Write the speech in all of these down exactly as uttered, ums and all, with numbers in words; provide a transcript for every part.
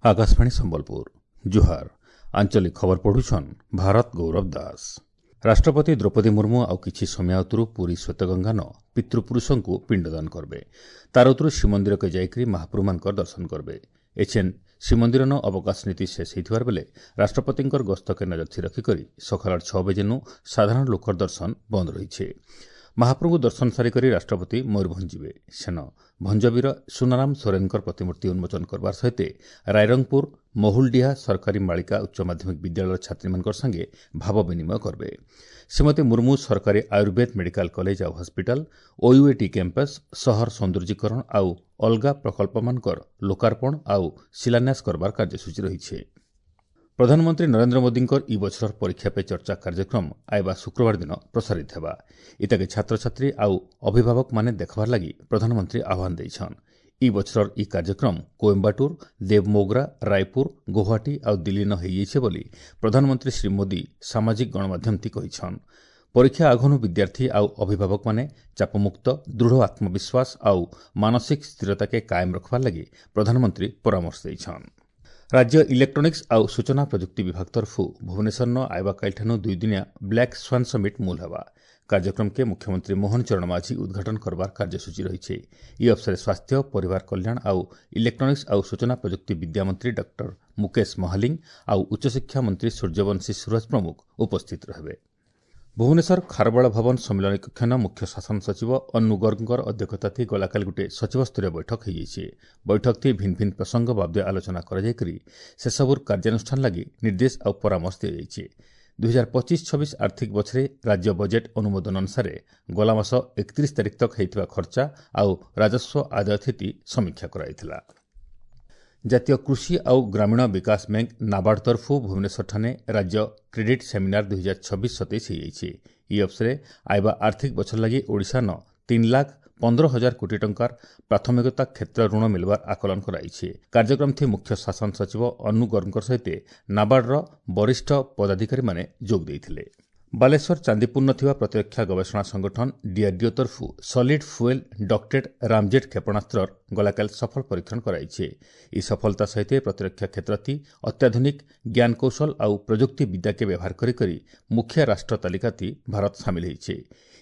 ଆକାଶବାଣୀ ସମ୍ବଲପୁର ଜୁହାର ଆଞ୍ଚଳିକ ଖବର ପଢୁଛନ୍ ଭାରତ ଗୌରବ ଦାସ ରାଷ୍ଟ୍ରପତି ଦ୍ରୌପଦୀ ମୁର୍ମୁ ଆଉ କିଛି ସମୟ ଅତରୁ ପୁରୀ ଶ୍ୱେତଗଙ୍ଗାନ ପିତୃପୁରୁଷଙ୍କୁ ପିଣ୍ଡଦାନ କରବେ ତାର ଉତରୁ ଶ୍ରୀମନ୍ଦିରକେ ଯାଇକରି ମହାପ୍ରଭୁମାନଙ୍କର ଦର୍ଶନ କରବେ ଏଛେନ୍ ଶ୍ରୀମନ୍ଦିରନ ଅବକାଶ ନୀତି ଶେଷ ହେଇଥିବାର ବେଲେ ରାଷ୍ଟ୍ରପତିଙ୍କର ଗସ୍ତକେ ନଜର ରଖିକରି ସକାଳ ଛଅ ବଜେନୁ ସାଧାରଣ ଲୋକର ଦର୍ଶନ ବନ୍ଦ ରହିଛେ ମହାପ୍ରଭୁଙ୍କୁ ଦର୍ଶନ ସାରିକରି ରାଷ୍ଟ୍ରପତି ମୟୂରଭଞ୍ଜ ଯିବେ ସେନ ଭଞ୍ଜବୀର ସୁନାରାମ ସୋରେନଙ୍କର ପ୍ରତିମୂର୍ତ୍ତି ଉନ୍ମୋଚନ କରବାର ସହିତ ରାଇରଙ୍ଗପୁର ମହୁଲଡିହା ସରକାରୀ ବାଳିକା ଉଚ୍ଚ ମାଧ୍ୟମିକ ବିଦ୍ୟାଳୟର ଛାତ୍ରୀମାନଙ୍କର ସାଙ୍ଗେ ଭାବ ବିନିମୟ କରିବେ ଶ୍ରୀମତୀ ମୁର୍ମୁ ସରକାରୀ ଆୟୁର୍ବେଦ ମେଡିକାଲ କଲେଜ ଆଉ ହସ୍ପିଟାଲ ଓୟୁଏଟି କ୍ୟାମ୍ପସ୍ ସହର ସୌନ୍ଦର୍ଯ୍ୟୀକରଣ ଆଉ ଅଲଗା ପ୍ରକଳ୍ପମାନଙ୍କର ଲୋକାର୍ପଣ ଆଉ ଶିଳାନ୍ୟାସ କରବାର କାର୍ଯ୍ୟସୂଚୀ ରହିଛି ପ୍ରଧାନମନ୍ତ୍ରୀ ନରେନ୍ଦ୍ର ମୋଦିଙ୍କର ଇ ବଛରର ପରୀକ୍ଷା ପେ ଚର୍ଚ୍ଚା କାର୍ଯ୍ୟକ୍ରମ ଆଇବା ଶୁକ୍ରବାର ଦିନ ପ୍ରସାରିତ ହେବା ଇତାକେ ଛାତ୍ରଛାତ୍ରୀ ଆଉ ଅଭିଭାବକମାନେ ଦେଖବାର ଲାଗି ପ୍ରଧାନମନ୍ତ୍ରୀ ଆହ୍ୱାନ ଦେଇଛନ୍ ଇ ବଛରର ଇ କାର୍ଯ୍ୟକ୍ରମ କୋଏମ୍ବାଟୁର ଦେବମୋଗ୍ରା ରାୟପୁର ଗୌହାଟୀ ଆଉ ଦିଲ୍ଲୀନ ହୋଇଯାଇଛେ ବୋଲି ପ୍ରଧାନମନ୍ତ୍ରୀ ଶ୍ରୀ ମୋଦି ସାମାଜିକ ଗଣମାଧ୍ୟମତି କହିଛନ୍ ପରୀକ୍ଷା ଆଗନୁ ବିଦ୍ୟାର୍ଥୀ ଆଉ ଅଭିଭାବକମାନେ ଚାପମୁକ୍ତ ଦୃଢ଼ ଆତ୍ମବିଶ୍ୱାସ ଆଉ ମାନସିକ ସ୍ଥିରତାକେ କାଏମ ରଖବାର ଲାଗି ପ୍ରଧାନମନ୍ତ୍ରୀ ପରାମର୍ଶ ଦେଇଛନ୍ ରାଜ୍ୟ ଇଲେକ୍ଟ୍ରୋନିକ୍ସ ଆଉ ସୂଚନା ପ୍ରଯୁକ୍ତି ବିଭାଗ ତରଫରୁ ଭୁବନେଶ୍ୱରନ ଆଇବା କାଲିଠାନୁ ଦୁଇଦିନିଆ ବ୍ଲାକ୍ ସ୍ୱାନ୍ ସମିଟ୍ ମୂଲ ହେବା କାର୍ଯ୍ୟକ୍ରମକେ ମୁଖ୍ୟମନ୍ତ୍ରୀ ମୋହନ ଚରଣ ମାଝୀ ଉଦ୍ଘାଟନ କରବାର କାର୍ଯ୍ୟସୂଚୀ ରହିଛି ଇ ଅବସରରେ ସ୍ୱାସ୍ଥ୍ୟ ପରିବାର କଲ୍ୟାଣ ଆଉ ଇଲେକ୍ଟ୍ରୋନିକ୍ସ ଆଉ ସୂଚନା ପ୍ରଯୁକ୍ତି ବିଦ୍ୟା ମନ୍ତ୍ରୀ ଡକ୍ଟର ମୁକେଶ ମହାଲିଙ୍ଗ ଆଉ ଉଚ୍ଚଶିକ୍ଷା ମନ୍ତ୍ରୀ ସୂର୍ଯ୍ୟବଂଶୀ ସୁରଜ ପ୍ରମୁଖ ଉପସ୍ଥିତ ରହିବେ ଭୁବନେଶ୍ୱର ଖାରବେଳ ଭବନ ସମ୍ମିଳନୀ କକ୍ଷନ ମୁଖ୍ୟ ଶାସନ ସଚିବ ଅନୁ ଗର୍ଗଙ୍କର ଅଧ୍ୟକ୍ଷତାଥି ଗଲାକାଲି ଗୋଟିଏ ସଚିବସ୍ତରୀୟ ବୈଠକ ହୋଇଯାଇଛି ବୈଠକଥି ଭିନ୍ନ ଭିନ୍ନ ପ୍ରସଙ୍ଗ ବାବଦେ ଆଲୋଚନା କରାଯାଇକରି ସେସବୁର କାର୍ଯ୍ୟାନୁଷ୍ଠାନ ଲାଗି ନିର୍ଦ୍ଦେଶ ଆଉ ପରାମର୍ଶ ଦିଆଯାଇଛି ଦୁଇହଜାର ପଚିଶ ଛବିଶ ଆର୍ଥିକ ବଛରେ ରାଜ୍ୟ ବଜେଟ୍ ଅନୁମୋଦନ ଅନୁସାରେ ଗଲା ମାସ ଏକତିରିଶ ତାରିଖ ତକ ହୋଇଥିବା ଖର୍ଚ୍ଚା ଆଉ ରାଜସ୍ୱ ଆଦାୟ ସ୍ଥିତି ସମୀକ୍ଷା କରାଯାଇଥିଲା ଜାତୀୟ କୃଷି ଆଉ ଗ୍ରାମୀଣ ବିକାଶ ବ୍ୟାଙ୍କ ନାବାର୍ଡ ତରଫରୁ ଭୁବନେଶ୍ୱରଠାନେ ରାଜ୍ୟ କ୍ରେଡିଟ୍ ସେମିନାର ଦୁଇହଜାର ଛବିଶ ସତେଇଶ ହୋଇଯାଇଛି ଇ ଅବସରରେ ଆଇବା ଆର୍ଥିକ ବଛର ଲାଗି ଓଡ଼ିଶାନ ତିନି ଲାଖ ପନ୍ଦର ହଜାର କୋଟି ଟଙ୍କାର ପ୍ରାଥମିକତା କ୍ଷେତ୍ର ଋଣ ମିଳିବାର ଆକଳନ କରାଯାଇଛି କାର୍ଯ୍ୟକ୍ରମଥି ମୁଖ୍ୟ ଶାସନ ସଚିବ ଅନୁ ଗର୍ଗଙ୍କ ସହିତ ନାବାର୍ଡର ବରିଷ୍ଠ ପଦାଧିକାରୀମାନେ ଯୋଗ ଦେଇଥିଲେ ବାଲେଶ୍ୱର ଚାନ୍ଦିପୁରନ ଥିବା ପ୍ରତିରକ୍ଷା ଗବେଷଣା ସଂଗଠନ ଡିଆର୍ଡିଓ ତରଫରୁ ସଲିଡ୍ ଫୁଏଲ୍ ଡକ୍ଟେଡ୍ ରାମଜେଟ୍ କ୍ଷେପଣାସ୍ତ୍ରର ଗଲାକାଲି ସଫଳ ପରୀକ୍ଷଣ କରାଯାଇଛି ଏହି ସଫଳତା ସହିତ ପ୍ରତିରକ୍ଷା କ୍ଷେତ୍ରତି ଅତ୍ୟାଧୁନିକ ଜ୍ଞାନକୌଶଳ ଆଉ ପ୍ରଯୁକ୍ତି ବିଦ୍ୟାକେ ବ୍ୟବହାର କରି କରି ମୁଖିଆ ରାଷ୍ଟ୍ର ତାଲିକାତି ଭାରତ ସାମିଲ ହୋଇଛି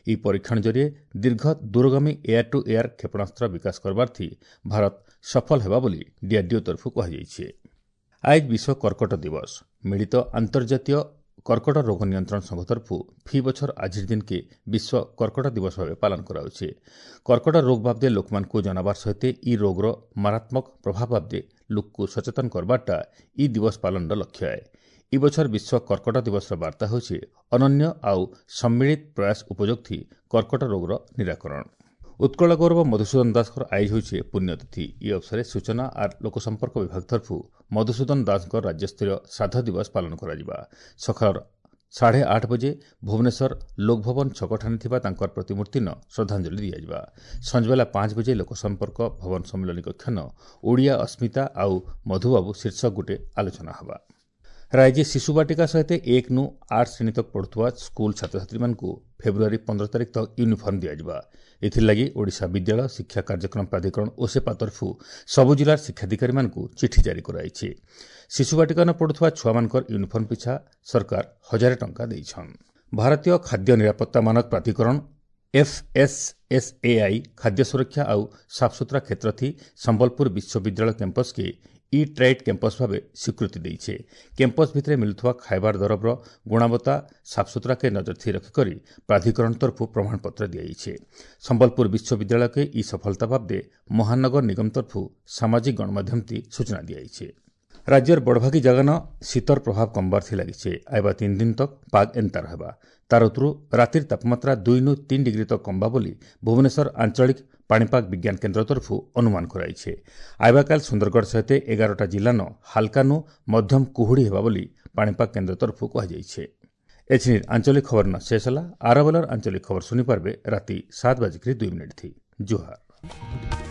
ଏହି ପରୀକ୍ଷଣ ଜରିଏ ଦୀର୍ଘ ଦୂରଗାମୀ ଏୟାର ଟୁ ଏୟାର କ୍ଷେପଣାସ୍ତ୍ର ବିକାଶ କରବାର୍ଥି ଭାରତ ସଫଳ ହେବା ବୋଲି ଡିଆର୍ଡିଓ ତରଫରୁ କୁହାଯାଇଛି ଆଜ ବିଶ୍ୱ କର୍କଟ ଦିବସ ମିଳିତ ଆନ୍ତର୍ଜାତୀୟ କର୍କଟ ରୋଗ ନିୟନ୍ତ୍ରଣ ସଂଘ ତରଫରୁ ଫି ବଛର ଆଜିର ଦିନକେ ବିଶ୍ୱ କର୍କଟ ଦିବସ ଭାବେ ପାଳନ କରାଯାଉଛି କର୍କଟ ରୋଗ ବାବଦେ ଲୋକମାନଙ୍କୁ ଜଣାବାର ସହିତ ଇ ରୋଗର ମାରାତ୍ମକ ପ୍ରଭାବ ବାବଦେ ଲୋକକୁ ସଚେତନ କରବାରଟା ଇ ଦିବସ ପାଳନର ଲକ୍ଷ୍ୟ ଏ ଇ ବଛର ବିଶ୍ୱ କର୍କଟ ଦିବସର ବାର୍ତ୍ତା ହେଉଛି ଅନନ୍ୟ ଆଉ ସମ୍ମିଳିତ ପ୍ରୟାସ ଉପଯୋଗ ଥି କର୍କଟ ରୋଗର ନିରାକରଣ ଉତ୍କଳ ଗୌରବ ମଧୁସୂଦନ ଦାସଙ୍କର ଆଇଜ ହେଉଛି ପୁଣ୍ୟତିଥି ଇ ଅବସରରେ ସୂଚନା ଆର୍ ଲୋକସମ୍ପର୍କ ବିଭାଗ ତରଫରୁ ମଧୁସୂଦନ ଦାସଙ୍କ ରାଜ୍ୟସ୍ତରୀୟ ଶ୍ରାଦ୍ଧ ଦିବସ ପାଳନ କରାଯିବା ସକାଳ ସାଢ଼େ ଆଠ ବଜେ ଭୁବନେଶ୍ୱର ଲୋକଭବନ ଛକଠାରେ ଥିବା ତାଙ୍କର ପ୍ରତିମୂର୍ତ୍ତିନ ଶ୍ରଦ୍ଧାଞ୍ଜଳି ଦିଆଯିବା ସଞ୍ଜବେଲା ପାଞ୍ଚ ବଜେ ଲୋକସମ୍ପର୍କ ଭବନ ସମ୍ମିଳନୀ କକ୍ଷନ ଓଡ଼ିଆ ଅସ୍ମିତା ଆଉ ମଧୁବାବୁ ଶୀର୍ଷକ ଗୋଟିଏ ଆଲୋଚନା ହେବା ରାଜ୍ୟ ଶିଶୁ ବାଟିକା ସହିତ ଏକ ନୁ ଆଠ ଶ୍ରେଣୀ ତକ ପଢୁଥିବା ସ୍କୁଲ ଛାତ୍ରଛାତ୍ରୀମାନଙ୍କୁ ଫେବୃଆରୀ ପନ୍ଦର ତାରିଖ ତକ ୟୁନିଫର୍ମ ଦିଆଯିବା ଏଥିଲାଗି ଓଡ଼ିଶା ବିଦ୍ୟାଳୟ ଶିକ୍ଷା କାର୍ଯ୍ୟକ୍ରମ ପ୍ରାଧିକରଣ ଓସେପା ତରଫରୁ ସବୁ ଜିଲ୍ଲାର ଶିକ୍ଷାଧିକାରୀମାନଙ୍କୁ ଚିଠି ଜାରି କରାଯାଇଛି ଶିଶୁ ବାଟିକାନ ପଢୁଥିବା ଛୁଆମାନଙ୍କର ୟୁନିଫର୍ମ ପିଛା ସରକାର ହଜାରେ ଟଙ୍କା ଦେଇଛନ୍ ଭାରତୀୟ ଖାଦ୍ୟ ନିରାପତ୍ତା ମାନକ ପ୍ରାଧିକରଣ ଏଫ୍ଏସ୍ଏସ୍ଏଆଇ ଖାଦ୍ୟ ସୁରକ୍ଷା ଆଉ ସାଫସୁତରା କ୍ଷେତ୍ରଥି ସମ୍ବଲପୁର ବିଶ୍ୱବିଦ୍ୟାଳୟ କ୍ୟାମ୍ପସ୍କେ ଇ ଟ୍ରାଇଟ୍ କ୍ୟାମ୍ପସ୍ ଭାବେ ସ୍ୱୀକୃତି ଦେଇଛେ କ୍ୟାମ୍ପସ୍ ଭିତରେ ମିଳୁଥିବା ଖାଇବାର ଦରବର ଗୁଣବତ୍ତା ସାଫସୁତରାକେ ନଜର ରଖିକରି ପ୍ରାଧିକରଣ ତରଫରୁ ପ୍ରମାଣପତ୍ର ଦିଆଯାଇଛି ସମ୍ବଲପୁର ବିଶ୍ୱବିଦ୍ୟାଳୟକେ ଇ ସଫଳତା ବାବଦେ ମହାନଗର ନିଗମ ତରଫରୁ ସାମାଜିକ ଗଣମାଧ୍ୟମତି ସୂଚନା ଦିଆଯାଇଛି ରାଜ୍ୟର ବଡ଼ଭାଗୀ ଜାଗାନ ଶୀତର ପ୍ରଭାବ କମବାର ଲାଗିছে ଆଇବା ତିନି ଦିନ ତକ ପାଗ ଏନ୍ତା ରହିବା ତାର ଉତରୁ ରାତିର ତାପମାତ୍ରା ଦୁଇ ନୁ ତିନି ଡିଗ୍ରୀ ତକ କମବା ବୋଲି ଭୁବନେଶ୍ୱର ଆଞ୍ଚଳିକ ପାଣିପାଗ ବିଜ୍ଞାନ କେନ୍ଦ୍ର ତରଫରୁ ଅନୁମାନ କରାଯାଇଛି ଆଇବାକାଲ ସୁନ୍ଦରଗଡ଼ ସହିତ ଏଗାରଟା ଜିଲ୍ଲାନ ହାଲକାନୁ ମଧ୍ୟମ କୁହୁଡ଼ି ହେବା ବୋଲି ପାଣିପାଗ କେନ୍ଦ୍ର ତରଫରୁ କୁହାଯାଇଛି ଏଛିନିର ଆଞ୍ଚଳିକ ଖବର ନ ଶେଷ ହେଲା ଆରବେଲର ଆଞ୍ଚଳିକ ଖବର ଶୁଣିପାରିବେ ରାତି ସାତ ବାଜିକରି ଦୁଇ ମିନିଟ୍ ଥି ଜୁହାର